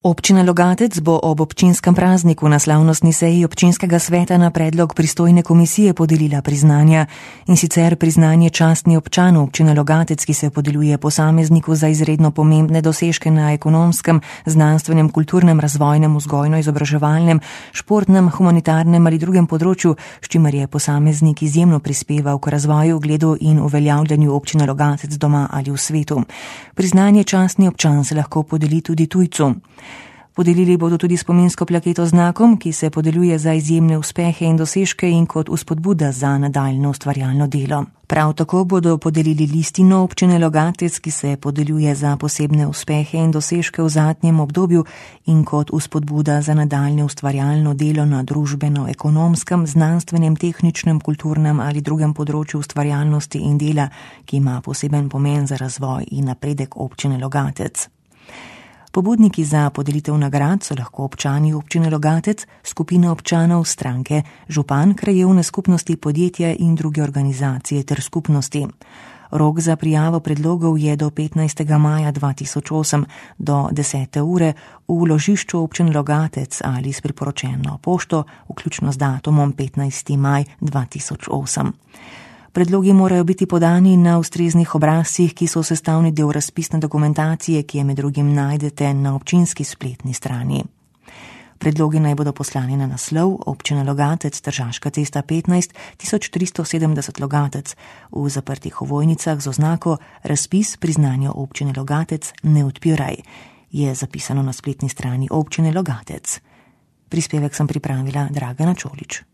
Občina Logatec bo ob občinskem prazniku na slavnostni seji občinskega sveta na predlog pristojne komisije podelila priznanja, in sicer priznanje častni občan občine Logatec, ki se podeljuje posamezniku za izredno pomembne dosežke na ekonomskem, znanstvenem, kulturnem, razvojnem, vzgojno-izobraževalnem, športnem, humanitarnem ali drugem področju, s čimer je posameznik izjemno prispeval k razvoju, ugledu in uveljavljanju občine Logatec doma ali v svetu. Priznanje častni občan se lahko podeli tudi tujcu. Podelili bodo tudi spominsko plaketo z znakom, ki se podeljuje za izjemne uspehe in dosežke in kot vzpodbuda za nadaljnje ustvarjalno delo. Prav tako bodo podelili listino občine Logatec, ki se podeljuje za posebne uspehe in dosežke v zadnjem obdobju in kot vzpodbuda za nadaljnje ustvarjalno delo na družbeno-ekonomskem, znanstvenem, tehničnem, kulturnem ali drugem področju ustvarjalnosti in dela, ki ima poseben pomen za razvoj in napredek občine Logatec. Pobudniki za podelitev nagrad so lahko občani občine Logatec, skupina občanov, stranke, župan, krajevne skupnosti, podjetja in druge organizacije ter skupnosti. Rok za prijavo predlogov je do 15. maja 2008 do 10. ure v vložišču občine Logatec ali s priporočeno pošto, vključno z datumom 15. maj 2008. Predlogi morajo biti podani na ustreznih obrazcih, ki so sestavni del razpisne dokumentacije, ki je med drugim najdete na občinski spletni strani. Predlogi naj bodo poslani na naslov Občina Logatec, Tržaška cesta 15 1370 Logatec, v zaprtih ovojnicah z oznako Razpis priznanja občine Logatec ne odpiraj, je zapisano na spletni strani občine Logatec. Prispevek sem pripravila Dragana Čolič.